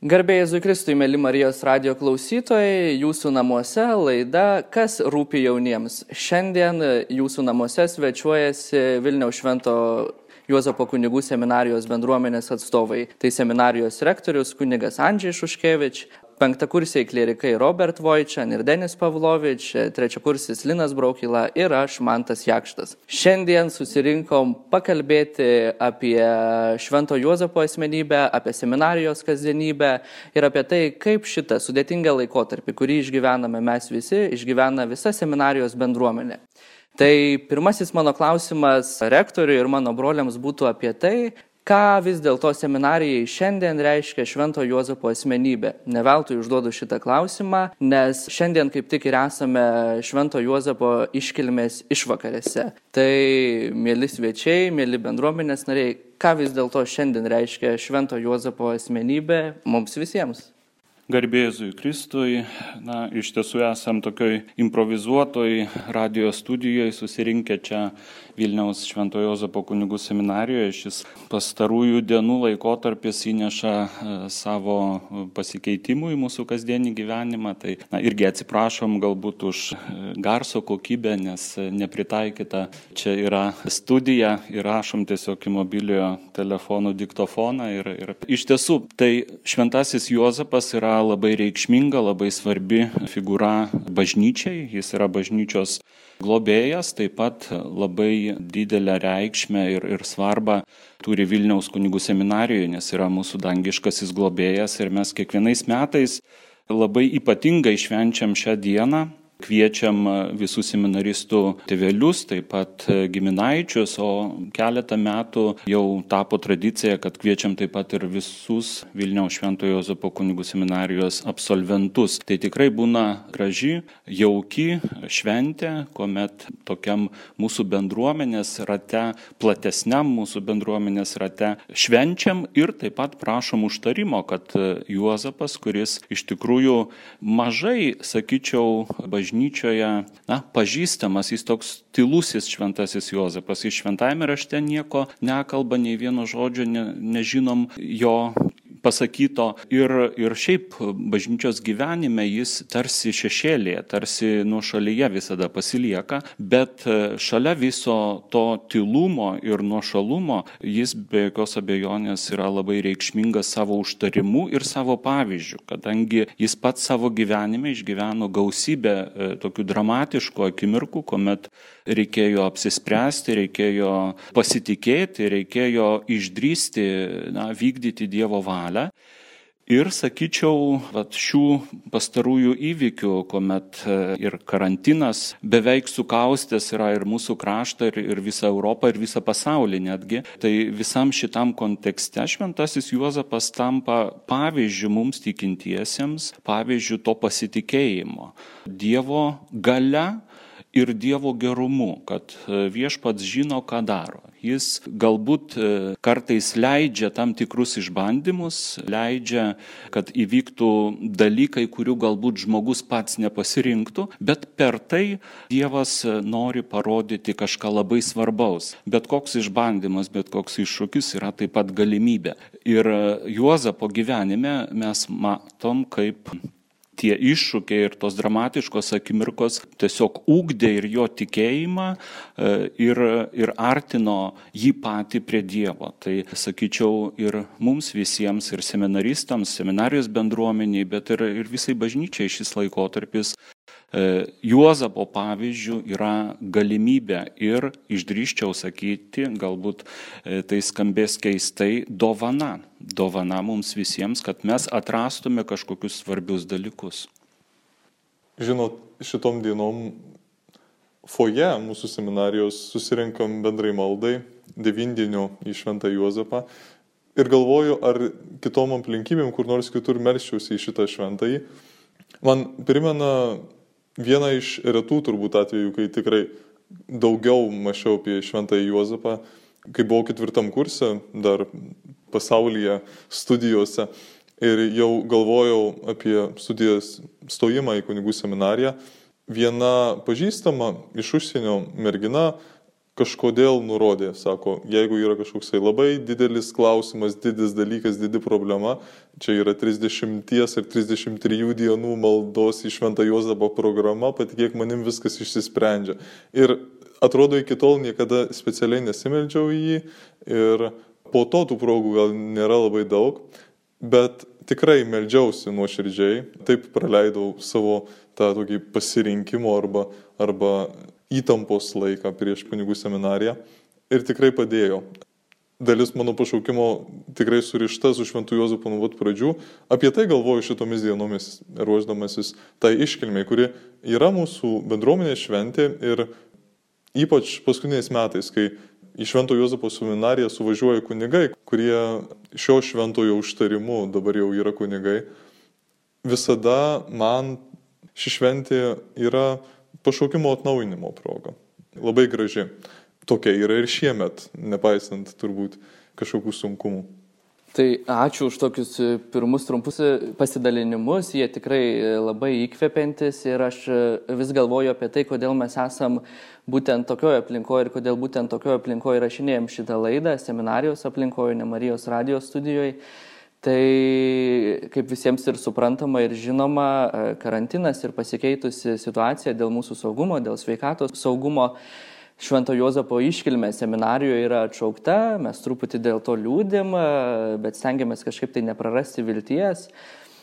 Garbė Jėzui Kristui, mėly Marijos radijo klausytojai, jūsų namuose laida Kas rūpi jauniems. Šiandien jūsų namuose svečiuojasi Vilniaus Švento Juozapo kunigų seminarijos bendruomenės atstovai. Tai seminarijos rektorius kunigas Andžej Šuškevič, penktakursiai klierikai Robert Vojčan ir Denis Pavlovič, trečiakursis Linas Braukila ir aš, Mantas Jakštas. Šiandien susirinkom pakalbėti apie Švento Juozapo asmenybę, apie seminarijos kasdienybę ir apie tai, kaip šitą sudėtingą laikotarpį, kurį išgyvename mes visi, išgyvena visa seminarijos bendruomenė. Tai pirmasis mano klausimas rektoriui ir mano broliams būtų apie tai, ką vis dėlto seminarijai šiandien reiškia Švento Juozapo asmenybė. Ne veltui užduodu šitą klausimą, nes šiandien kaip tik ir esame Švento Juozapo iškilmės išvakarėse. Tai, mėly svečiai, mėly bendruomenės nariai, ką vis dėlto šiandien reiškia Švento Juozapo asmenybė mums visiems? Garbė Jėzui Kristui, iš tiesų esam tokioj improvizuotoj radio studijoje susirinkę čia Vilniaus Švento Juozapo kunigų seminarijoje. Šis pastarųjų dienų laikotarpis įneša savo pasikeitimų į mūsų kasdienį gyvenimą. Tai irgi atsiprašom galbūt už garso kokybę, nes nepritaikyta. Čia yra studija, įrašom tiesiog į mobiliojo telefonų diktofoną. Ir iš tiesų, tai Šventasis Juozapas yra labai reikšminga, labai svarbi figūra bažnyčiai. Jis yra bažnyčios globėjas, taip pat labai didelę reikšmę ir svarbą turi Vilniaus kunigų seminarijoje, nes yra mūsų dangiškasis globėjas ir mes kiekvienais metais labai ypatingai švenčiam šią dieną. Kviečiam visų seminaristų tėvelius, taip pat giminaičius, o keletą metų jau tapo tradicija, kad kviečiam taip pat ir visus Vilniaus Švento Juozapo kunigų seminarijos absolventus. Tai tikrai būna graži, jauki šventė, kuomet tokiam mūsų bendruomenės rate, platesniam mūsų bendruomenės rate švenčiam ir taip pat prašom užtarimo, kad Juozapas, kuris iš tikrųjų mažai, sakyčiau, bažnyčioje, pažįstamas, jis toks tylusis Šventasis Juozapas. Iš šventajame rašte nieko nekalba, nei vieno žodžio nežinom jo pasakyto. Ir šiaip bažnyčios gyvenime jis tarsi šešėlėje, tarsi nuošalyje visada pasilieka, bet šalia viso to tylumo ir nuošalumo jis be jokios abejonės yra labai reikšmingas savo užtarimu ir savo pavyzdžiu, kadangi jis pats savo gyvenime išgyveno gausybę tokių dramatiškų akimirkų, kuomet reikėjo apsispręsti, reikėjo pasitikėti, reikėjo išdrįsti, vykdyti Dievo valią. Ir sakyčiau, šių pastarųjų įvykių, kuomet ir karantinas beveik sukaustęs yra ir mūsų kraštą, ir visą Europą, ir visą pasaulį netgi, tai visam šitam kontekste Šventasis Juozapas tampa pavyzdžiu mums tikintiesiems, pavyzdžiu to pasitikėjimo Dievo galia ir Dievo gerumu, kad viešpats žino, ką daro. Jis galbūt kartais leidžia tam tikrus išbandymus, leidžia, kad įvyktų dalykai, kurių galbūt žmogus pats nepasirinktų, bet per tai Dievas nori parodyti kažką labai svarbaus. Bet koks išbandymas, bet koks iššūkis yra taip pat galimybė. Ir Juozapo gyvenime mes matom, kaip tie iššūkiai ir tos dramatiškos akimirkos tiesiog ugdė ir jo tikėjimą ir artino jį patį prie Dievo. Tai sakyčiau ir mums visiems, ir seminaristams, seminarijos bendruomeniai, bet ir visai bažnyčiai šis laikotarpis Juozapo pavyzdžių yra galimybė ir, išdrįsčiau sakyti, galbūt tai skambės keistai, dovana. Dovana mums visiems, kad mes atrastume kažkokius svarbius dalykus. Žinot, šitom dienom foje mūsų seminarijos susirinkam bendrai maldai, devindienio į Šventą Juozapą ir galvoju, ar kitom aplinkybėm, kur nors kitur melsčiausi į šitą šventąjį. Man primena vieną iš retų turbūt atvejų, kai tikrai daugiau mąsčiau apie Šventąjį Juozapą, kai buvau 4 kurse, dar pasaulyje studijose ir jau galvojau apie studijas stojimą į kunigų seminariją. Viena pažįstama iš užsienio mergina kažkodėl nurodė, sako, jeigu yra kažkoksai labai didelis klausimas, didis dalykas, didi problema, čia yra 30 ir 33 dienų maldos į Šventą Juozapą programa, patikėk manim viskas išsisprendžia. Ir atrodo, iki tol niekada specialiai nesimeldžiau į jį ir po to tų progų gal nėra labai daug, bet tikrai meldžiausi nuoširdžiai, taip praleidau savo tą tokį pasirinkimo arba įtampos laiką prieš kunigų seminariją ir tikrai padėjo. Dalis mano pašaukimo tikrai surišta su Šventu Juozapu nuo pat pradžių. Apie tai galvoju šitomis dienomis, ruošdamasis tai iškilmei, kuri yra mūsų bendruomenės šventė ir ypač paskutiniais metais, kai į Švento Juozapo seminariją suvažiuoja kunigai, kurie šio šventojo užtarimu dabar jau yra kunigai. Visada man ši šventė yra pašaukimo atnaujinimo proga. Labai graži. Tokia yra ir šiemet, nepaisant turbūt kažkokių sunkumų. Tai ačiū už tokius pirmus trumpus pasidalinimus, jie tikrai labai įkvepiantis ir aš vis galvoju apie tai, kodėl mes esam būtent tokioje aplinkoje ir kodėl būtent tokioje aplinkoje rašinėjom šitą laidą, seminarijos aplinkoje, ne Marijos radijos studijoje. Tai kaip visiems ir suprantama ir žinoma, karantinas ir pasikeitusi situacija dėl mūsų saugumo, dėl sveikatos saugumo, Švento Juozapo iškilmė seminarijoje yra atšaukta, mes truputį dėl to liūdim, bet stengiamės kažkaip tai neprarasti vilties.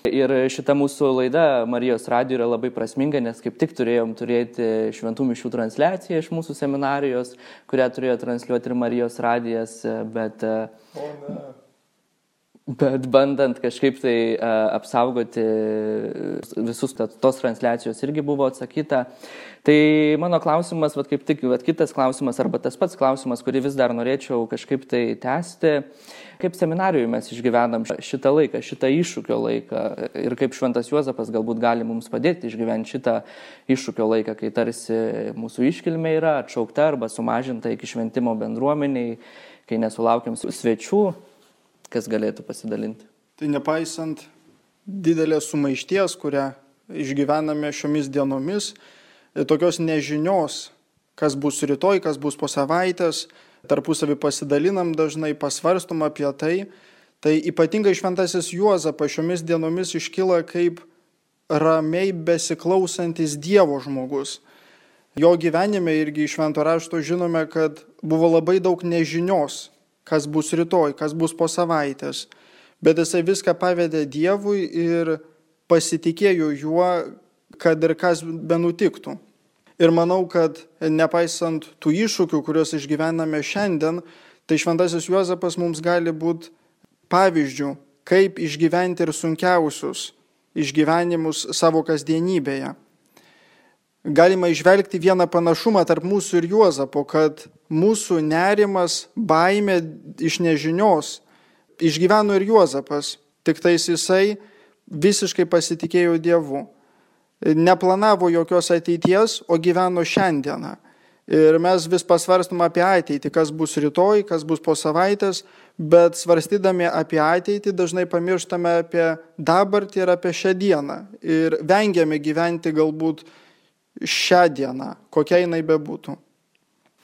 Ir šita mūsų laida Marijos radijo yra labai prasminga, nes kaip tik turėjom turėti šventų mišių transliaciją iš mūsų seminarijos, kurią turėjo transliuoti ir Marijos radijas, bet bandant kažkaip tai apsaugoti visus tos transliacijos irgi buvo atsakyta. Tai mano klausimas, kaip tik kitas klausimas arba tas pats klausimas, kurį vis dar norėčiau kažkaip tai tęsti, kaip seminarijoje mes išgyvenam šitą laiką, šitą iššūkio laiką ir kaip Šventas Juozapas galbūt gali mums padėti išgyventi šitą iššūkio laiką, kai tarsi mūsų iškilmė yra atšaukta arba sumažinta iki šventimo bendruomeniai, kai nesulaukiam svečių. Kas galėtų pasidalinti? Tai nepaisant didelės sumaišties, kurią išgyvename šiomis dienomis, tokios nežinios, kas bus rytoj, kas bus po savaitės, tarpusavį pasidalinam dažnai, pasvarstom apie tai ypatingai Šventasis Juozapas šiomis dienomis iškyla kaip ramiai besiklausantis Dievo žmogus. Jo gyvenime irgi iš Švento rašto žinome, kad buvo labai daug nežinios, kas bus rytoj, kas bus po savaitės. Bet jisai viską pavedė Dievui ir pasitikėjo juo, kad ir kas benutiktų. Ir manau, kad nepaisant tų iššūkių, kuriuos išgyvename šiandien, tai Šventasis Juozapas mums gali būti pavyzdžių, kaip išgyventi ir sunkiausius išgyvenimus savo kasdienybėje. Galima išvelgti vieną panašumą tarp mūsų ir Juozapo, kad mūsų nerimas, baimė iš nežinios išgyveno ir Juozapas, tik tais jisai visiškai pasitikėjo Dievu. Neplanavo jokios ateities, o gyveno šiandieną. Ir mes vis pasvarstum apie ateitį, kas bus rytoj, kas bus po savaitės, bet svarstydami apie ateitį dažnai pamirštame apie dabartį ir apie šią dieną. Ir vengiame gyventi galbūt šią dieną, kokia jinai bebūtų.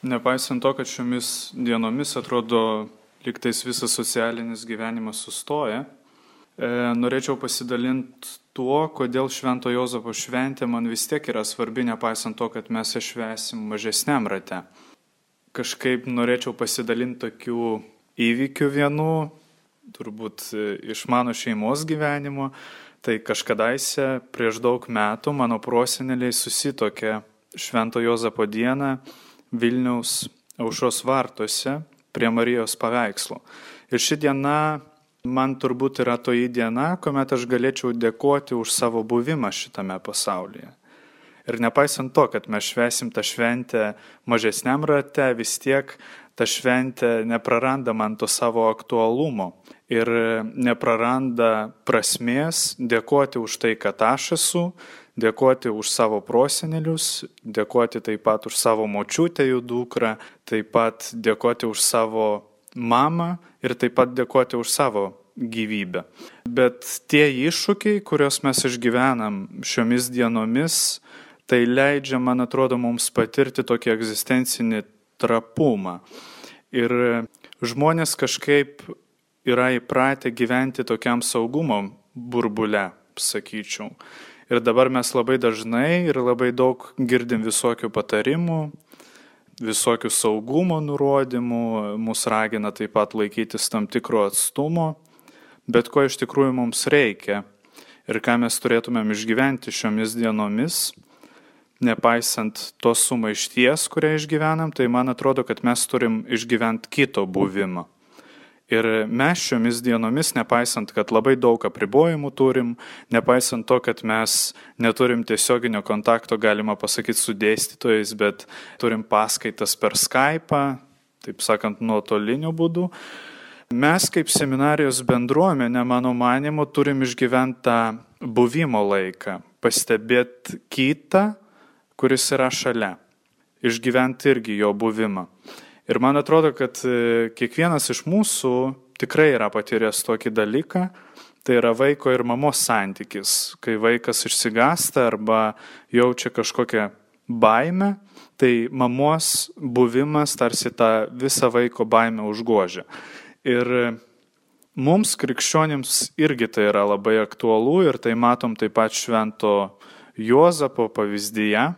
Nepaisant to, kad šiomis dienomis atrodo lygtais visas socialinis gyvenimas sustoja, norėčiau pasidalinti tuo, kodėl Švento Juozapo šventė man vis tiek yra svarbi, nepaisant to, kad mes ją švęsim mažesniam rate. Kažkaip norėčiau pasidalinti tokių įvykių vienų, turbūt iš mano šeimos gyvenimo. Tai kažkadaise prieš daug metų mano proseneliai susitokė Švento Juozapo dieną Vilniaus Aušros vartuose prie Marijos paveikslo. Ir ši diena man turbūt yra toji diena, kuomet aš galėčiau dėkoti už savo buvimą šitame pasaulyje. Ir nepaisant to, kad mes švęsim tą šventę mažesniam rate, vis tiek ta šventė nepraranda man to savo aktualumo ir nepraranda prasmės dėkoti už tai, kad aš esu, dėkoti už savo prosenelius, dėkoti taip pat už savo močiutę, jų dukrą, taip pat dėkoti už savo mamą ir taip pat dėkoti už savo gyvybę. Bet tie iššūkiai, kuriuos mes išgyvenam šiomis dienomis, tai leidžia, man atrodo, mums patirti tokį egzistencinį trapumą. Ir žmonės kažkaip yra įpratę gyventi tokiam saugumo burbule, sakyčiau. Ir dabar mes labai dažnai ir labai daug girdim visokių patarimų, visokių saugumo nurodymų, mus ragina taip pat laikytis tam tikro atstumo, bet ko iš tikrųjų mums reikia ir ką mes turėtumėm išgyventi šiomis dienomis, nepaisant tos sumaišties, kurią išgyvenam, tai man atrodo, kad mes turim išgyventi kito buvimą. Ir mes šiomis dienomis, nepaisant, kad labai daug apribojimų turim, nepaisant to, kad mes neturim tiesioginio kontakto, galima pasakyti, su dėstytojais, bet turim paskaitas per Skype'ą, taip sakant, nuotoliniu būdu, mes kaip seminarijos bendruomenė, mano manimu, turim išgyventi tą buvimo laiką, pastebėti kitą, kuris yra šalia, išgyventi irgi jo buvimą. Ir man atrodo, kad kiekvienas iš mūsų tikrai yra patyręs tokį dalyką, tai yra vaiko ir mamos santykis, kai vaikas išsigąsta arba jaučia kažkokią baimę, tai mamos buvimas tarsi tą visą vaiko baimę užgožia. Ir mums, krikščionims, irgi tai yra labai aktualu ir tai matom taip pat Švento Juozapo pavyzdyje.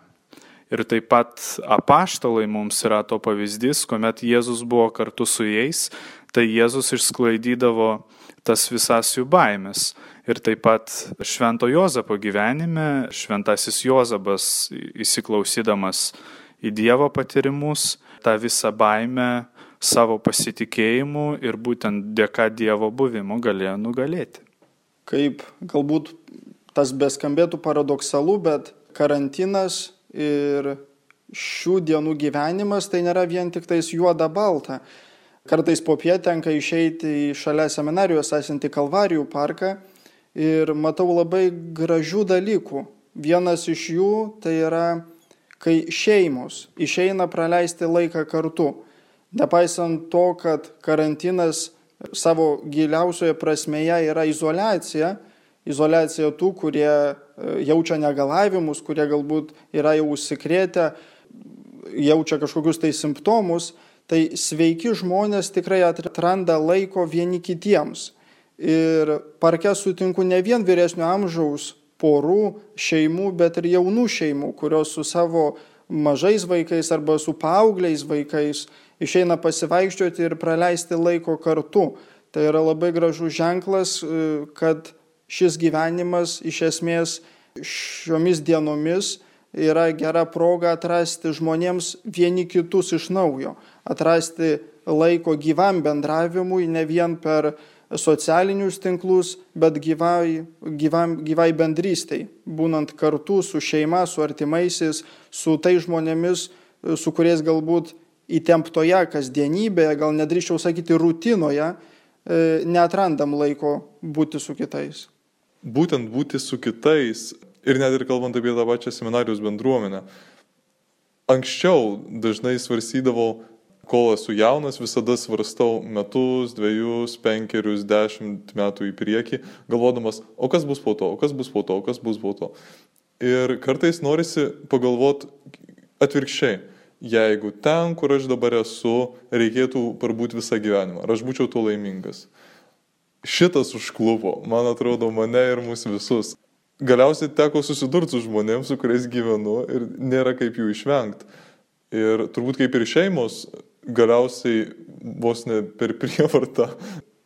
Ir taip pat apaštalai mums yra to pavyzdys, kuomet Jėzus buvo kartu su jais, tai Jėzus išsklaidydavo tas visas jų baimės. Ir taip pat Švento Juozapo gyvenime, Šventasis Juozapas įsiklausydamas į Dievo patyrimus, tą visą baimę savo pasitikėjimu ir būtent dėka Dievo buvimo galėjo nugalėti. Kaip galbūt tas beskambėtų paradoksalu, bet karantinas ir šių dienų gyvenimas tai nėra vien tik tais juoda balta. Kartais popiet tenka išeiti į šalia seminarijos esantį Kalvarijų parką ir matau labai gražių dalykų. Vienas iš jų tai yra, kai šeimos išeina praleisti laiką kartu. Nepaisant to, kad karantinas savo giliausioje prasmėje yra izoliacija tų, kurie jaučia negalavimus, kurie galbūt yra jau užsikrėtę, jaučia kažkokius tai simptomus, tai sveiki žmonės tikrai atranda laiko vieni kitiems. Ir parke sutinku ne vien vyresnio amžiaus porų, šeimų, bet ir jaunų šeimų, kurios su savo mažais vaikais arba su paaugliais vaikais išeina pasivaikščioti ir praleisti laiko kartu. Tai yra labai gražus ženklas, kad šis gyvenimas iš esmės šiomis dienomis yra gera proga atrasti žmonėms vieni kitus iš naujo, atrasti laiko gyvam bendravimui, ne vien per socialinius tinklus, bet gyvai bendrystei, būnant kartu su šeima, su artimaisiais, su tai žmonėmis, su kuriais galbūt įtemptoje kasdienybėje, gal nedrįščiau sakyti rutinoje, neatrandam laiko būti su kitais. Būtent būti su kitais ir net ir kalbant apie tą pačią seminarijos bendruomenę. Anksčiau dažnai svarstydavau, kol esu jaunas, visada svarstau metus, 2, 5, 10 metų į priekį, galvodamas, o kas bus po to, o kas bus po to, o kas bus po to. Ir kartais norisi pagalvoti atvirkščiai, jeigu ten, kur aš dabar esu, reikėtų parbūti visą gyvenimą, ar aš būčiau tuo laimingas. Šitas užklupo, man atrodo, mane ir mūsų visus. Galiausiai teko susidurti su žmonėms, su kuriais gyvenu ir nėra kaip jų išvengti. Ir turbūt kaip ir šeimos, galiausiai vos ne per prievartą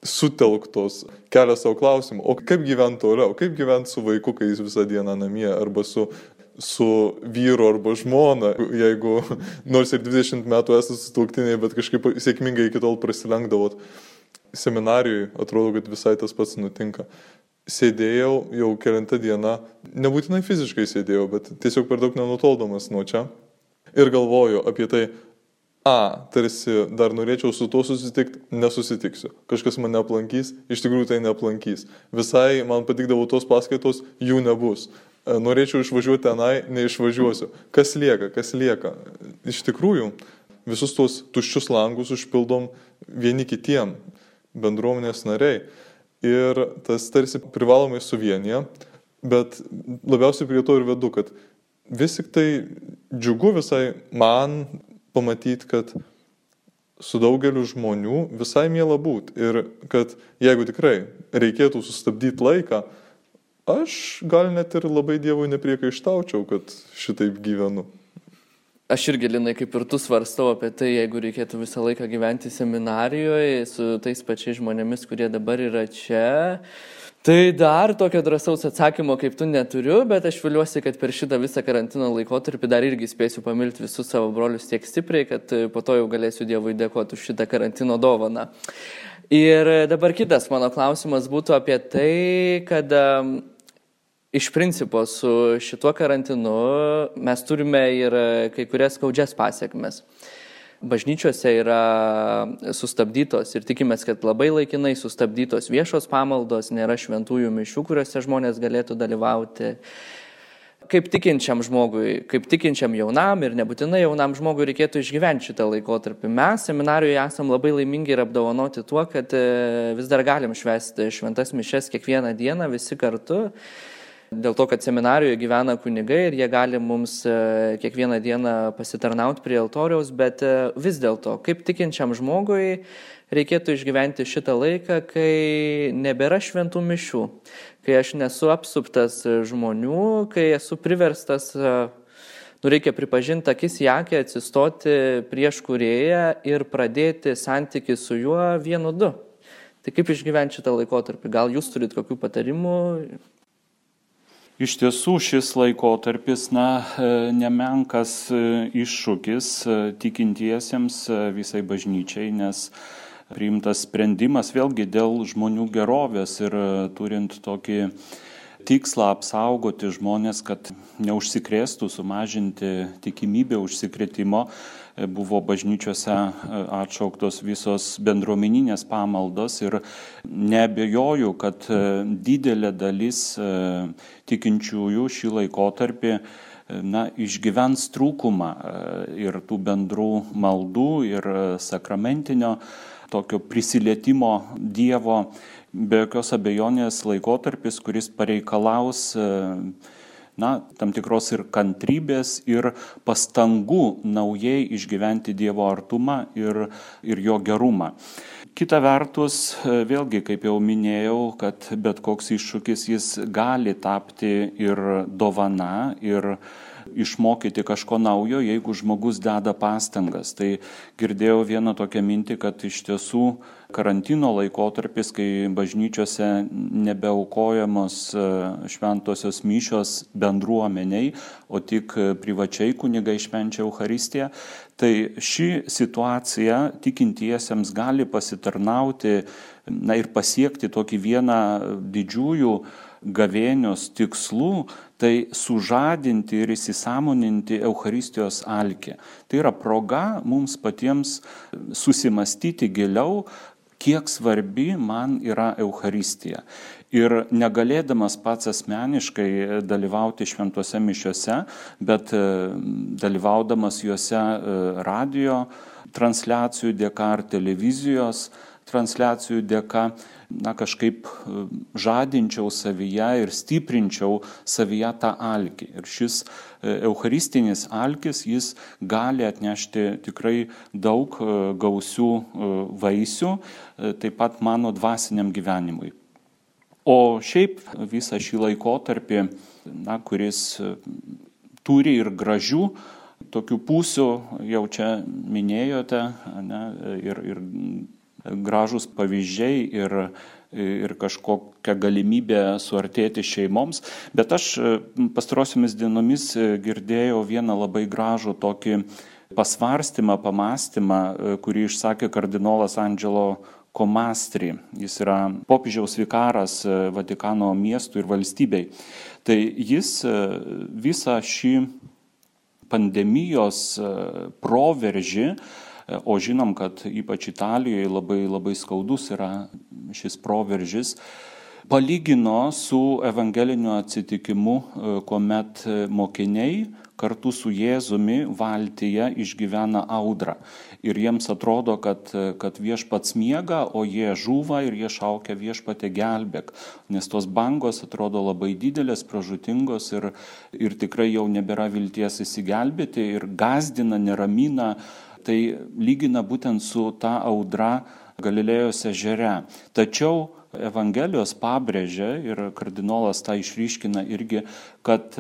sutelktos kelia savo klausimą, o kaip gyventi toliau, kaip gyventi su vaiku, kai jis visą dieną namie, arba su vyru arba žmona, jeigu nors ir 20 metų esate sutuoktiniai, bet kažkaip sėkmingai iki tol prasilenkdavot. Seminarijoje atrodo, kad visai tas pats nutinka. Sėdėjau jau kelintą dieną, nebūtinai fiziškai sėdėjau, bet tiesiog per daug nenutoldamas nuo čia. Ir galvoju apie tai, tarsi dar norėčiau su tuo susitikti, nesusitiksiu. Kažkas mane aplankys, iš tikrųjų tai neaplankys. Visai man patikdavo tos paskaitos, jų nebus. Norėčiau išvažiuoti tenai, neišvažiuosiu. Kas lieka? Iš tikrųjų, visus tos tuščius langus užpildom vieni kitiem, bendruomenės nariai. Ir tas tarsi privalomai suvienyje, bet labiausiai prie to ir vedu, kad vis tik tai džiugu visai man pamatyti, kad su daugeliu žmonių visai miela būti ir kad jeigu tikrai reikėtų sustabdyti laiką, aš gal net ir labai Dievui nepriekaištaučiau, kad šitaip gyvenu. Aš irgi, Linai, kaip ir tu svarstau apie tai, jeigu reikėtų visą laiką gyventi seminarijoje su tais pačiais žmonėmis, kurie dabar yra čia. Tai dar tokio drąsaus atsakymo kaip tu neturiu, bet aš viliuosi, kad per šitą visą karantino laikotarpį dar irgi spėsiu pamilti visus savo brolius tiek stipriai, kad po to jau galėsiu Dievui dėkoti už šitą karantino dovaną. Ir dabar kitas mano klausimas būtų apie tai, kad iš principo su šituo karantinu mes turime ir kai kurias skaudžias pasiekmes. Bažnyčiose yra sustabdytos ir tikimės, kad labai laikinai sustabdytos viešos pamaldos, nėra šventųjų mišių, kuriuose žmonės galėtų dalyvauti. Kaip tikinčiam žmogui, kaip tikinčiam jaunam ir nebūtinai jaunam žmogui reikėtų išgyventi šitą laikotarpį. Mes seminarijoje esam labai laimingi ir apdovanoti tuo, kad vis dar galim švęsti šventas mišias kiekvieną dieną visi kartu. Dėl to, kad seminarijoje gyvena kunigai ir jie gali mums kiekvieną dieną pasitarnauti prie altoriaus, bet vis dėlto, kaip tikinčiam žmogui reikėtų išgyventi šitą laiką, kai nebėra šventų mišių, kai aš nesu apsuptas žmonių, kai esu priverstas, reikia pripažinti akis į akį, atsistoti prieš kūrėją ir pradėti santykį su juo 1-2. Tai kaip išgyventi šitą laikotarpį? Gal jūs turit kokių patarimų? Iš tiesų šis laikotarpis, nemenkas iššūkis tikintiesiems visai bažnyčiai, nes priimtas sprendimas vėlgi dėl žmonių gerovės ir turint tokį tikslą apsaugoti žmonės, kad neužsikrėstų, sumažinti tikimybę užsikrėtimo, buvo bažnyčiose atšauktos visos bendruomeninės pamaldos ir neabejoju, kad didelė dalis tikinčiųjų šį laikotarpį išgyvens trūkumą ir tų bendrų maldų ir sakramentinio tokio prisilietimo Dievo. Be jokios abejonės laikotarpis, kuris pareikalaus tam tikros ir kantrybės, ir pastangų naujai išgyventi Dievo artumą ir jo gerumą. Kita vertus, vėlgi, kaip jau minėjau, kad bet koks iššūkis jis gali tapti ir dovana, ir išmokyti kažko naujo, jeigu žmogus deda pastangas. Tai girdėjau vieną tokią mintį, kad iš tiesų karantino laikotarpis, kai bažnyčiose nebeaukojamos šventosios mišios bendruomeniai, o tik privačiai kunigai švenčia Eucharistiją, tai ši situacija tikintiesiems gali pasitarnauti ir pasiekti tokį vieną didžiųjų gavėnios tikslų, tai sužadinti ir įsisąmoninti Eucharistijos alkį. Tai yra proga mums patiems susimastyti giliau, kiek svarbi man yra Eucharistija. Ir negalėdamas pats asmeniškai dalyvauti šventose mišiose, bet dalyvaudamas juose radio transliacijų dėka ar televizijos transliacijų dėka, kažkaip žadinčiau savyje ir stiprinčiau savyje tą alkį. Ir šis eucharistinis alkis, jis gali atnešti tikrai daug gausių vaisių, taip pat mano dvasiniam gyvenimui. O šiaip visą šį laikotarpį, kuris turi ir gražių tokių pusių, jau čia minėjote, ir gražus pavyzdžiai ir kažkokia galimybė suartėti šeimoms. Bet aš pastarosiomis dienomis girdėjau vieną labai gražų tokį pasvarstymą, pamastymą, kurį išsakė kardinolas Angelo Komastri. Jis yra popiežiaus vikaras Vatikano miestui ir valstybei. Tai jis visą šį pandemijos proveržį, o žinom, kad ypač Italijoje labai skaudus yra šis proveržis, palygino su evangeliniu atsitikimu, kuomet mokiniai kartu su Jėzumi valtyje išgyvena audrą. Ir jiems atrodo, kad viešpats miega, o jie žūva ir jie šaukia viešpatė gelbėk. Nes tos bangos atrodo labai didelės, pražūtingos ir tikrai jau nebėra vilties įsigelbėti ir gazdina, neramina. Tai lygina būtent su ta audra Galilėjos ežere. Tačiau Evangelijos pabrėžia ir kardinolas tą išryškina irgi, kad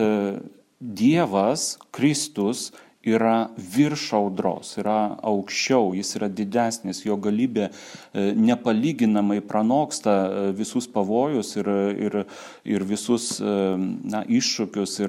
Dievas, Kristus yra virš audros, yra aukščiau, jis yra didesnis, jo galybė nepalyginamai pranoksta visus pavojus ir visus iššūkius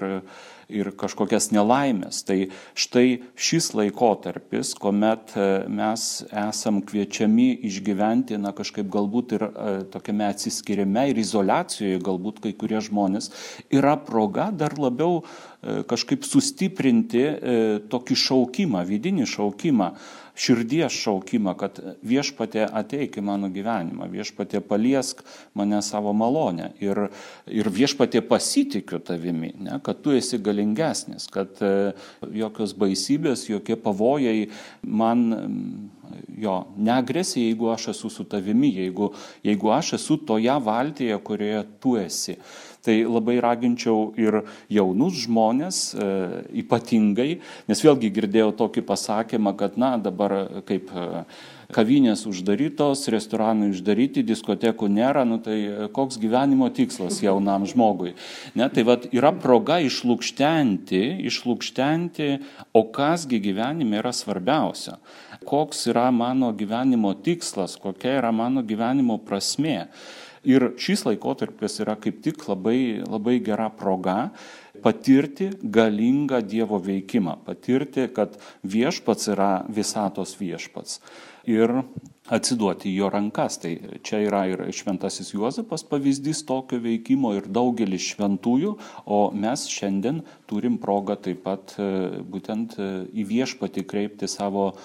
ir kažkokias nelaimės. Tai štai šis laikotarpis, kuomet mes esam kviečiami išgyventi, kažkaip galbūt ir tokiame atsiskirime ir izoliacijoje, galbūt kai kurie žmonės, yra proga dar labiau kažkaip sustiprinti tokį šaukimą, vidinį šaukimą, širdies šaukimą, kad viešpatie ateik į mano gyvenimą, viešpatie paliesk mane savo malonę ir viešpatie pasitikiu tavimi, ne, kad tu esi galingesnis, kad jokios baisybės, jokie pavojai man neagresija, jeigu aš esu su tavimi, jeigu aš esu toje valtyje, kurioje tu esi. Tai labai raginčiau ir jaunus žmonės ypatingai, nes vėlgi girdėjau tokį pasakymą, kad dabar kaip kavinės uždarytos, restoranai uždaryti, diskotekų nėra, tai koks gyvenimo tikslas jaunam žmogui. Ne, tai yra proga išlukštenti, o kasgi gyvenime yra svarbiausia. Koks yra mano gyvenimo tikslas, kokia yra mano gyvenimo prasmė. Ir šis laikotarpis yra kaip tik labai, labai gera proga patirti galingą Dievo veikimą, patirti, kad viešpats yra visatos viešpats ir atsiduoti į jo rankas. Tai čia yra ir šventasis Juozapas pavyzdys tokio veikimo ir daugelis šventųjų, o mes šiandien turim progą taip pat būtent į viešpatį kreipti savo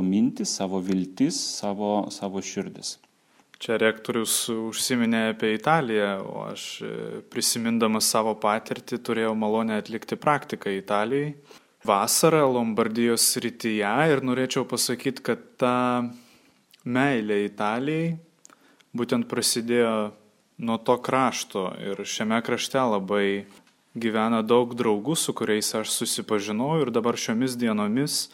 mintis, savo viltis, savo širdis. Čia rektorius užsiminė apie Italiją, o aš prisimindamas savo patirtį turėjau malonę atlikti praktiką Italijai. Vasarą Lombardijos srityje ir norėčiau pasakyti, kad ta meilė Italijai būtent prasidėjo nuo to krašto ir šiame krašte labai gyvena daug draugų, su kuriais aš susipažinau ir dabar šiomis dienomis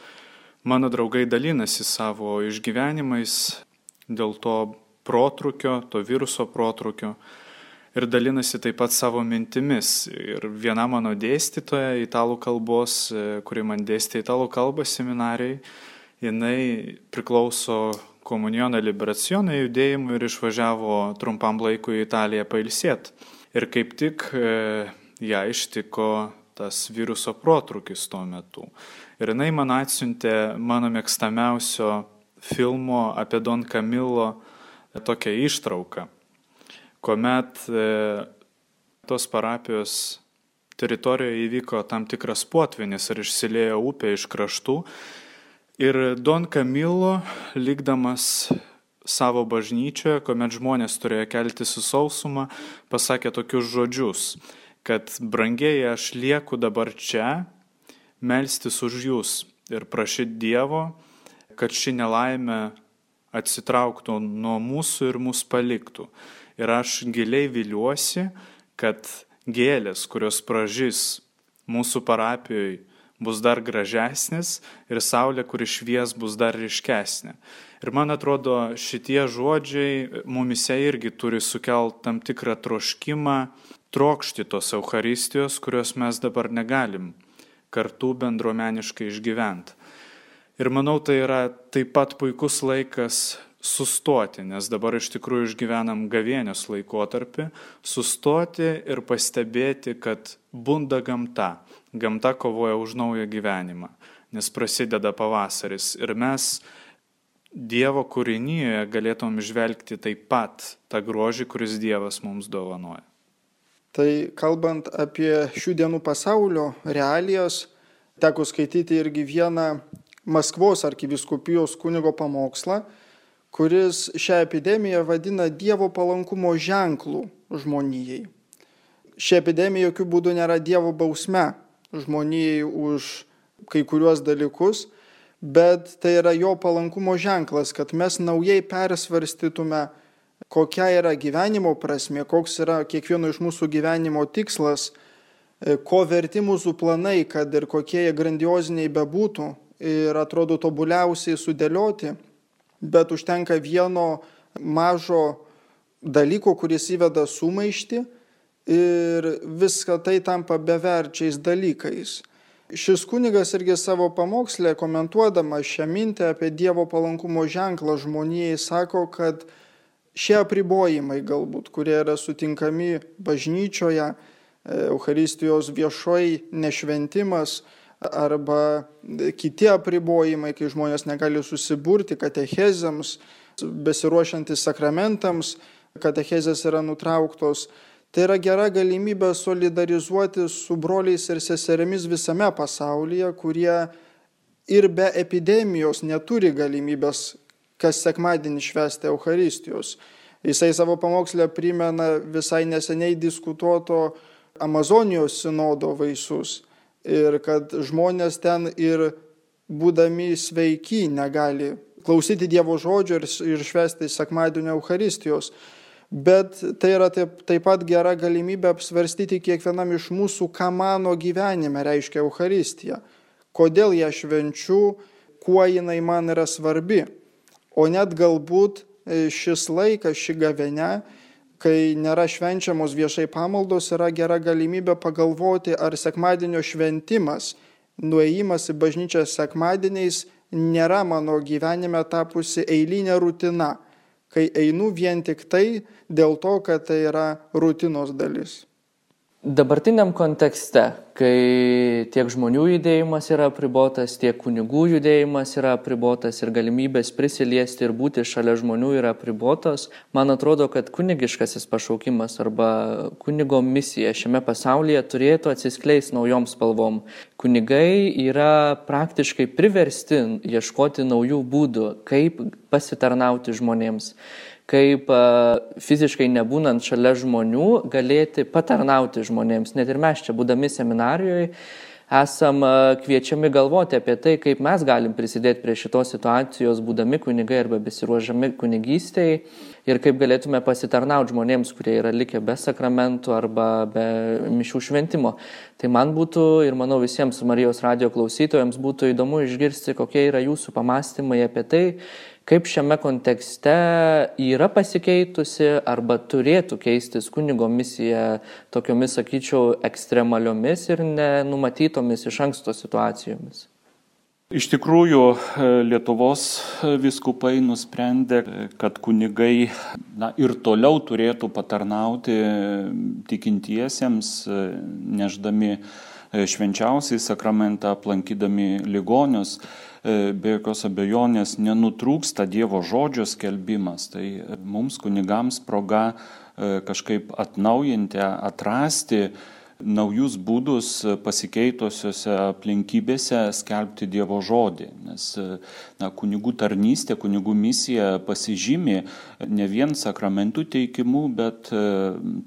mano draugai dalinasi savo išgyvenimais dėl to viruso protrūkio ir dalinasi taip pat savo mintimis. Ir viena mano dėstytoja italų kalbos, kuri man dėstė italų kalbą seminarijai, jinai priklauso Komuniono Liberazione judėjimui ir išvažiavo trumpam laikui į Italiją pailsėti. Ir kaip tik ją ištiko tas viruso protrūkis tuo metu. Ir jinai man atsiuntė mano mėgstamiausio filmo apie Don Camillo tokią ištrauką, kuomet tos parapijos teritorijoje įvyko tam tikras potvynis ir išsiliejo upė iš kraštų. Ir Don Camillo, likdamas savo bažnyčioje, kuomet žmonės turėjo keltis į sausumą, pasakė tokius žodžius, kad brangieji, aš lieku dabar čia, melstis už jūs ir prašyti Dievo, kad ši nelaimė atsitrauktų nuo mūsų ir mus paliktų. Ir aš giliai viliuosi, kad gėlės, kurios pražys mūsų parapijoje, bus dar gražesnis ir saulė, kuri švies, bus dar ryškesnė. Ir man atrodo, šitie žodžiai mumise irgi turi sukelti tam tikrą troškimą, trokšti tos Eucharistijos, kurios mes dabar negalim kartu bendruomeniškai išgyventi. Ir manau, tai yra taip pat puikus laikas sustoti, nes dabar iš tikrųjų išgyvenam gavėnios laikotarpį, sustoti ir pastebėti, kad bunda gamta. Gamta kovoja už naują gyvenimą, nes prasideda pavasaris. Ir mes Dievo kūrinyje galėtum žvelgti taip pat tą grožį, kuris Dievas mums dovanoja. Tai kalbant apie šių dienų pasaulio realijas, teko skaityti irgi vieną Maskvos arkivyskupijos kunigo pamokslą, kuris šią epidemiją vadina Dievo palankumo ženklų žmonijai. Ši epidemija jokių būdų nėra Dievo bausme žmonijai už kai kuriuos dalykus, bet tai yra jo palankumo ženklas, kad mes naujai persvarstytume, kokia yra gyvenimo prasmė, koks yra kiekvieno iš mūsų gyvenimo tikslas, ko verti mūsų planai, kad ir kokie jie grandioziniai bebūtų ir atrodo tobuliausiai sudėlioti, bet užtenka vieno mažo dalyko, kuris įveda sumaištį ir viską tai tampa beverčiais dalykais. Šis kunigas irgi savo pamokslę komentuodamas šią mintį apie Dievo palankumo ženklą žmonijai sako, kad šie apribojimai galbūt, kurie yra sutinkami bažnyčioje, Eucharistijos viešai nešventimas arba kiti apribojimai, kai žmonės negali susiburti katechezėms, besiruošiantis sakramentams, katechezės yra nutrauktos. Tai yra gera galimybė solidarizuoti su broliais ir seserimis visame pasaulyje, kurie ir be epidemijos neturi galimybės kas sekmadienį švęsti Eucharistijos. Jisai savo pamokslę primena visai neseniai diskutuoto Amazonijos sinodo vaisius ir kad žmonės ten ir būdami sveiki negali klausyti Dievo žodžio ir švęsti sekmadienio Eucharistijos. Bet tai yra taip pat gera galimybė apsvarstyti kiekvienam iš mūsų, ką mano gyvenime reiškia Eucharistija, kodėl ją švenčiu, kuo jinai man yra svarbi. O net galbūt šis laikas, ši gavėnia, kai nėra švenčiamos viešai pamaldos, yra gera galimybė pagalvoti, ar sekmadienio šventimas, nuėjimas į bažnyčią sekmadieniais nėra mano gyvenime tapusi eilinė rutina, kai einu vien tik tai dėl to, kad tai yra rutinos dalis. Dabartiniam kontekste, kai tiek žmonių judėjimas yra apribotas, tiek kunigų judėjimas yra apribotas ir galimybės prisiliesti ir būti šalia žmonių yra apribotos, man atrodo, kad kunigiškasis pašaukimas arba kunigo misija šiame pasaulyje turėtų atsiskleisti naujom spalvom. Kunigai yra praktiškai priversti ieškoti naujų būdų, kaip pasitarnauti žmonėms, kaip fiziškai nebūnant šalia žmonių galėti patarnauti žmonėms. Net ir mes čia, būdami seminarijoje, esam kviečiami galvoti apie tai, kaip mes galim prisidėti prie šitos situacijos, būdami kunigai arba besiruožami kunigystėje ir kaip galėtume pasitarnauti žmonėms, kurie yra likę be sakramentų arba be mišių šventimo. Tai man būtų ir manau visiems Marijos radijo klausytojams būtų įdomu išgirsti, kokie yra jūsų pamąstymai apie tai, kaip šiame kontekste yra pasikeitusi arba turėtų keistis kunigo misija tokiomis, sakyčiau, ekstremaliomis ir nenumatytomis iš anksto situacijomis? Iš tikrųjų, Lietuvos vyskupai nusprendė, kad kunigai ir toliau turėtų patarnauti tikintiesiems, neždami švenčiausiai sakramentą, aplankydami ligonius. Be jokios abejonės nenutrūksta Dievo žodžio skelbimas. Tai mums kunigams proga kažkaip atnaujinti, atrasti naujus būdus pasikeitusiose aplinkybėse skelbti Dievo žodį. Nes kunigų tarnystė, kunigų misija pasižymi ne vien sakramentų teikimu, bet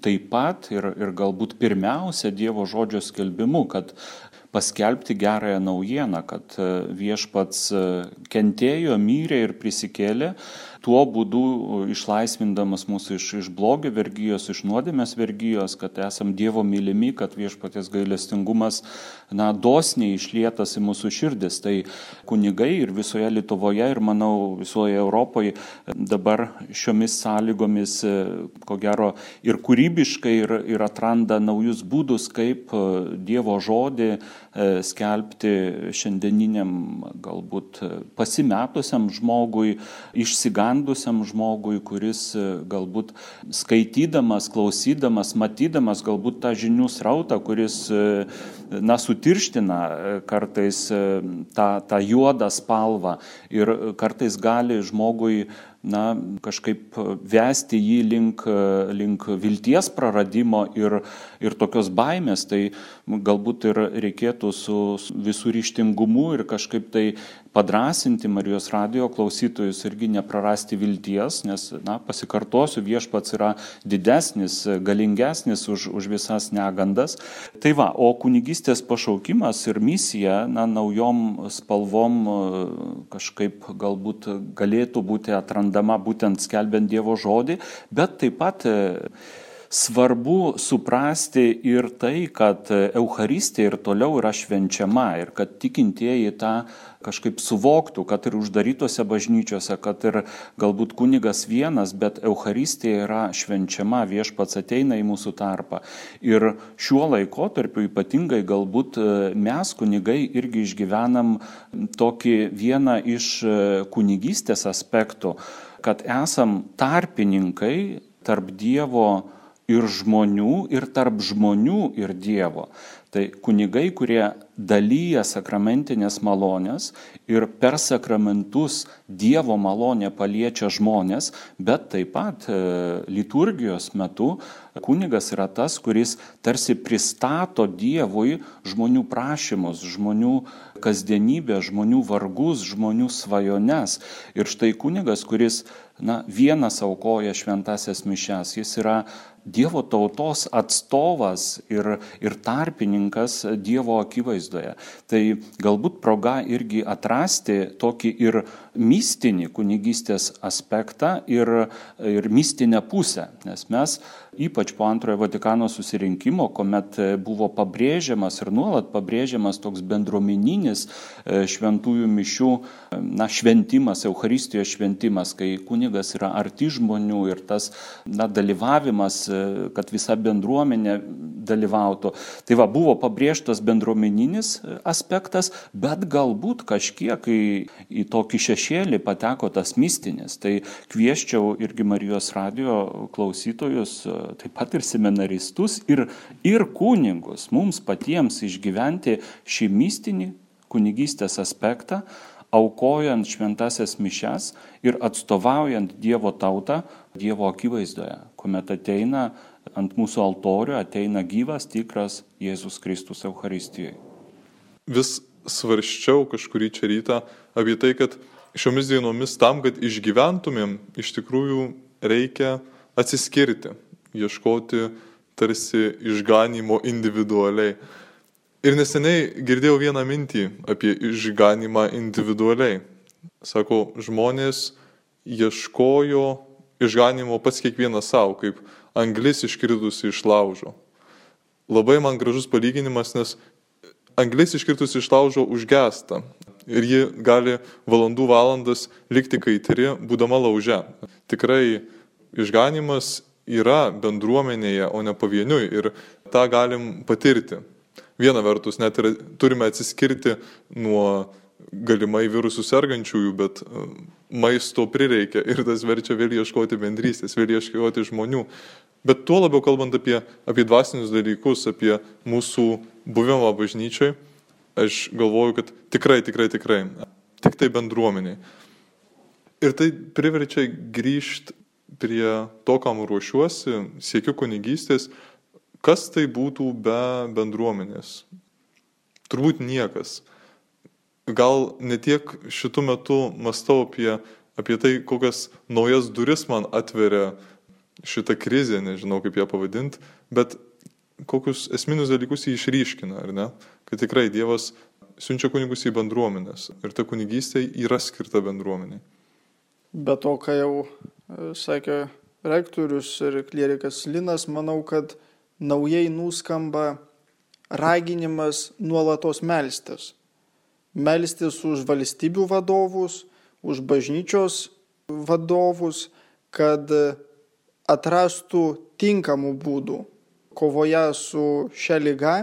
taip pat ir galbūt pirmiausia Dievo žodžio skelbimu, kad paskelbti gerąją naujieną, kad viešpats kentėjo, mirė ir prisikėlė, tuo būdu išlaisvindamas mūsų iš blogio vergijos, iš nuodėmės vergijos, kad esam Dievo mylimi, kad viešpaties gailestingumas dosniai išlietas į mūsų širdis. Tai kunigai ir visoje Lietuvoje ir manau visoje Europoje dabar šiomis sąlygomis ko gero ir kūrybiškai ir atranda naujus būdus, kaip Dievo žodį skelbti šiandieniniam galbūt pasimetusiam žmogui, išsigandusiam žmogui, kuris galbūt skaitydamas, klausydamas, matydamas galbūt tą žinių srautą, kuris sutirština kartais tą juodą spalvą ir kartais gali žmogui kažkaip vesti jį link vilties praradimo ir tokios baimės, tai galbūt ir reikėtų su visų ryžtingumu ir kažkaip tai padrasinti Marijos radijo klausytojus irgi neprarasti vilties, nes, pasikartosiu, viešpats yra didesnis, galingesnis už visas negandas. Tai va, o kunigystės pašaukimas ir misija, naujom spalvom kažkaip galbūt galėtų būti atrandama būtent skelbiant Dievo žodį, bet taip pat svarbu suprasti ir tai, kad Eucharistija ir toliau yra švenčiama ir kad tikintieji tą kažkaip suvoktų, kad ir uždarytose bažnyčiose, kad ir galbūt kunigas vienas, bet Eucharistija yra švenčiama, viešpats ateina į mūsų tarpą. Ir šiuo laikotarpiu ypatingai galbūt mes kunigai irgi išgyvenam tokį vieną iš kunigystės aspektų, kad esam tarpininkai tarp Dievo ir žmonių, ir tarp žmonių ir Dievo. Tai kunigai, kurie dalyja sakramentinės malonės ir per sakramentus Dievo malonė paliečia žmonės, bet taip pat liturgijos metu kunigas yra tas, kuris tarsi pristato Dievui žmonių prašymus, žmonių kasdienybę, žmonių vargus, žmonių svajones. Ir štai kunigas, kuris vienas aukoja šventasias mišias, jis yra Dievo tautos atstovas ir tarpininkas Dievo akivaizdoje. Tai galbūt proga irgi atrasti tokį ir mistinį kunigystės aspektą ir mistinę pusę, nes mes ypač po Antrojo Vatikano susirinkimo, kuomet buvo pabrėžiamas ir nuolat pabrėžiamas toks bendruomeninis šventųjų mišių šventimas, Eucharistijos šventimas, kai kunigas yra arti žmonių ir tas dalyvavimas, kad visa bendruomenė dalyvautų. Tai va, buvo pabrėžtas bendruomeninis aspektas, bet galbūt kažkiek į tokį šešėlį pateko tas mistinis. Tai kvieščiau irgi Marijos radijo klausytojus, taip pat ir seminaristus ir kunigus mums patiems išgyventi šį mistinį kunigystės aspektą, aukojant šventasias mišias ir atstovaujant Dievo tautą Dievo akivaizdoje, kuomet ateina ant mūsų altorių, ateina gyvas, tikras Jėzus Kristus Eucharistijoje. Vis svarsčiau kažkurį čia rytą apie tai, kad šiomis dienomis tam, kad išgyventumėm, iš tikrųjų reikia atsiskirti, ieškoti tarsi išganimo individualiai. Ir neseniai girdėjau vieną mintį apie išganimą individualiai. Sako, žmonės ieškojo išganimo pats kiekvienas savo, kaip anglis iškritusi iš laužo. Labai man gražus palyginimas, nes anglis iškritusi iš laužo užgesta ir ji gali valandų valandas likti kaitri, būdama lauže. Tikrai išganimas yra bendruomenėje, o ne pavieniui ir tą galim patirti. Viena vertus, net ir turime atsiskirti nuo galimai virusų sergančiųjų, bet maisto prireikia ir tas verčia vėl ieškoti bendrystės, vėl ieškoti žmonių. Bet tuo labiau kalbant apie dvasinius dalykus, apie mūsų buvimą bažnyčiai, aš galvoju, kad tikrai, tik tai bendruomeniai. Ir tai priverčia grįžti prie to, kam ruošiuosi, siekiu kunigystės. Kas tai būtų be bendruomenės? Turbūt niekas. Gal ne tiek šitų metų mąstau apie tai, kokias naujas duris man atveria šitą krizę, nežinau kaip ją pavadinti, bet kokius esminius dalykus jį išryškina, ar ne? Kad tikrai Dievas siunčia kunigus į bendruomenės ir ta kunigystė yra skirta bendruomeniai. Be to, ką jau sakė rektorius ir klierikas Linas, manau, kad naujai nuskamba raginimas nuolatos melstis. Melstis už valstybių vadovus, už bažnyčios vadovus, kad atrastų tinkamų būdų kovoje su šia liga,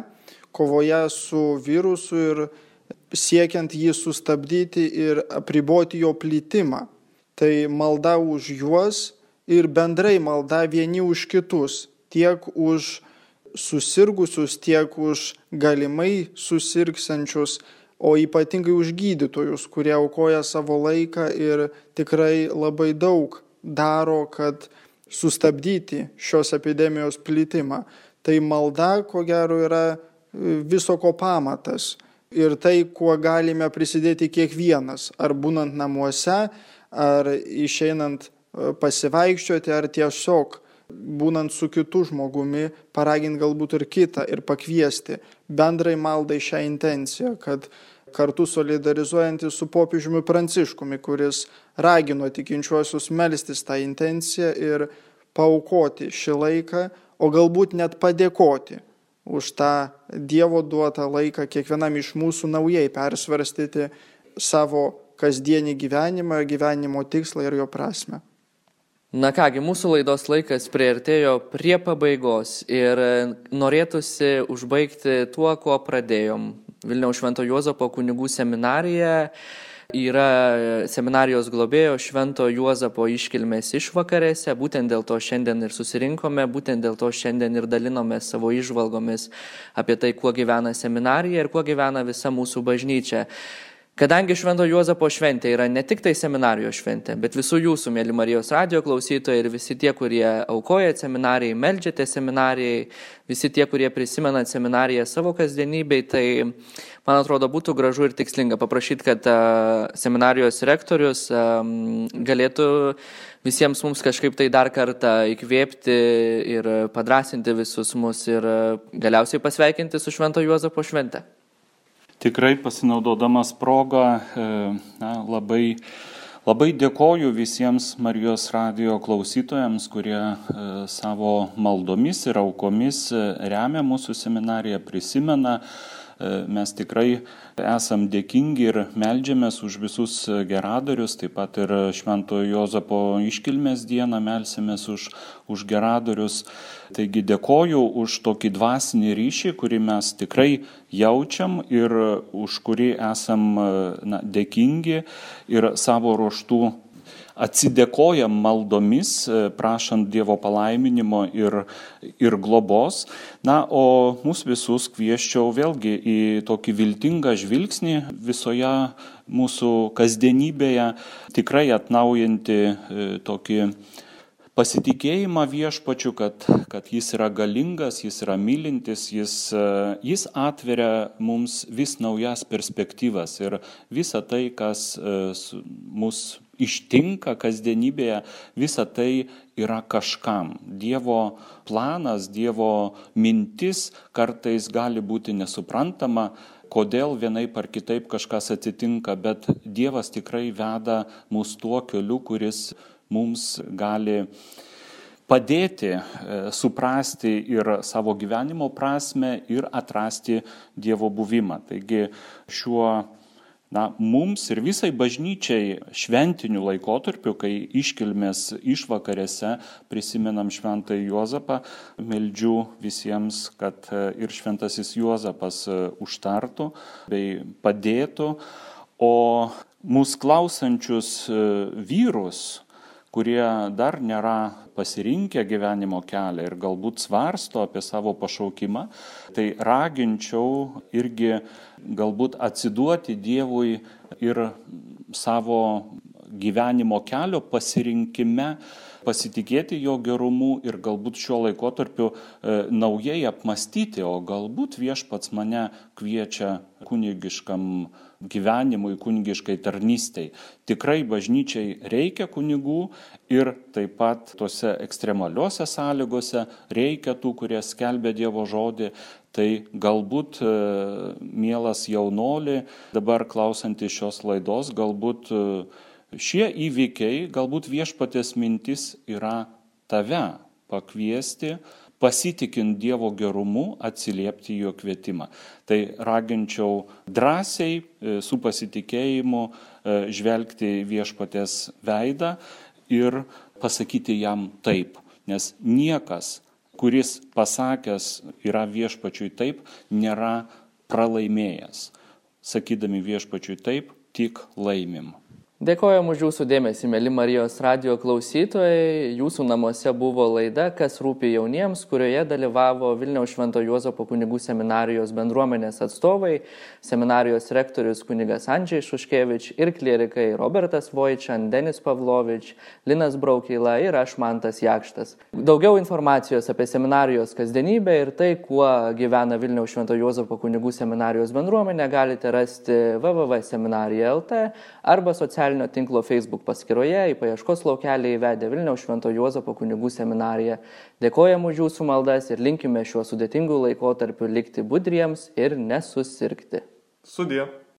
kovoje su virusu ir siekiant jį sustabdyti ir apriboti jo plitimą. Tai malda už juos ir bendrai malda vieni už kitus, tiek už susirgusius, tiek už galimai susirgsiančius, o ypatingai už gydytojus, kurie aukoja savo laiką ir tikrai labai daug daro, kad sustabdyti šios epidemijos plitimą. Tai malda, ko gero, yra viso ko pamatas ir tai, kuo galime prisidėti kiekvienas, ar būnant namuose, ar išeinant pasivaikščioti, ar tiesiog būnant su kitu žmogumi, paraginti galbūt ir kitą ir pakviesti bendrai maldai šią intenciją, kad kartu solidarizuojantis su popiežiumi Pranciškumi, kuris ragino tikinčiuosius melstis tą intenciją ir paaukoti šį laiką, o galbūt net padėkoti už tą Dievo duotą laiką kiekvienam iš mūsų naujai persvarstyti savo kasdienį gyvenimą, gyvenimo tikslą ir jo prasme. Na kągi, mūsų laidos laikas priartėjo prie pabaigos ir norėtųsi užbaigti tuo, kuo pradėjom. Vilniaus Švento Juozapo kunigų seminarija yra seminarijos globėjo Švento Juozapo iškilmės išvakarėse, būtent dėl to šiandien ir susirinkome, būtent dėl to šiandien ir dalinomės savo įžvalgomis apie tai, kuo gyvena seminarija ir kuo gyvena visa mūsų bažnyčia. Kadangi Švento Juozapo šventė yra ne tik tai seminarijos šventė, bet visų jūsų, mėly Marijos radijo klausytojai ir visi tie, kurie aukojat seminarijai, meldžiate seminarijai, visi tie, kurie prisimenat seminariją savo kasdienybei, tai man atrodo būtų gražu ir tikslinga paprašyti, kad seminarijos rektorius galėtų visiems mums kažkaip tai dar kartą įkvėpti ir padrasinti visus mus ir galiausiai pasveikinti su Švento Juozapo švente. Tikrai pasinaudodamas progą, labai dėkoju visiems Marijos radijo klausytojams, kurie savo maldomis ir aukomis remia mūsų seminariją, prisimena. Mes tikrai esam dėkingi ir meldžiamės už visus geradarius, taip pat ir Švento Juozapo iškilmės dieną melsimės už geradarius. Taigi dėkoju už tokį dvasinį ryšį, kurį mes tikrai jaučiam ir už kurį esam dėkingi ir savo ruožtų atsidėkojam maldomis, prašant Dievo palaiminimo ir globos. O mus visus kvieščiau vėlgi į tokį viltingą žvilgsnį visoje mūsų kasdienybėje, tikrai atnaujinti tokį pasitikėjimą viešpačiu, kad jis yra galingas, jis yra mylintis, jis atveria mums vis naujas perspektyvas ir visa tai, kas mus ištinka kasdienybėje, visa tai yra kažkam. Dievo planas, Dievo mintis kartais gali būti nesuprantama, kodėl vienaip ar kitaip kažkas atsitinka, bet Dievas tikrai veda mus tuo keliu, kuris mums gali padėti suprasti ir savo gyvenimo prasme ir atrasti Dievo buvimą. Taigi šiuo mums ir visai bažnyčiai šventiniu laikotarpiu, kai iškilmės išvakarėse prisimenam Šventąjį Juozapą, meldžiu visiems, kad ir Šventasis Juozapas užtartų bei padėtų, o mūsų klausančius vyrus, kurie dar nėra pasirinkę gyvenimo kelią ir galbūt svarsto apie savo pašaukimą, tai raginčiau irgi galbūt atsiduoti Dievui ir savo gyvenimo kelio pasirinkime, pasitikėti jo gerumu ir galbūt šiuo laikotarpiu naujai apmastyti, o galbūt Viešpats mane kviečia kunigiškam gyvenimui, kunigiškai tarnystei. Tikrai bažnyčiai reikia kunigų ir taip pat tose ekstremaliuose sąlygose reikia tų, kurie skelbia Dievo žodį. Tai galbūt, mielas jaunoli, dabar klausantys šios laidos, galbūt šie įvykiai, galbūt Viešpaties mintis yra tave pakviesti, pasitikint Dievo gerumu, atsiliepti jo kvietimą. Tai raginčiau drąsiai, su pasitikėjimu žvelgti Viešpaties veidą ir pasakyti jam taip. Nes niekas, kuris pasakęs yra Viešpačiui taip, nėra pralaimėjęs. Sakydami Viešpačiui taip, tik laimim. Dėkojam už jūsų dėmesį, mėly Marijos radijo klausytojai. Jūsų namuose buvo laida Kas rūpi jauniems, kurioje dalyvavo Vilniaus Švento Juozapo kunigų seminarijos bendruomenės atstovai, seminarijos rektorius kunigas Andžiai Šuškevič ir klierikai Robertas Vojčan, Denis Pavlovič, Linas Braukyla ir aš Mantas Jakštas. Daugiau informacijos apie seminarijos kasdienybę ir tai, kuo gyvena Vilniaus Švento Juozapo kunigų seminarijos bendruomenė, galite rasti www.seminarija.lt arba socialinio tinklo Facebook paskyroje, į paieškos laukelį įvedę Vilniaus Švento Juozapo kunigų seminariją. Dėkojam už jūsų maldas ir linkime šiuo sudėtingu laikotarpiu likti budriems ir nesusirgti. Sudie.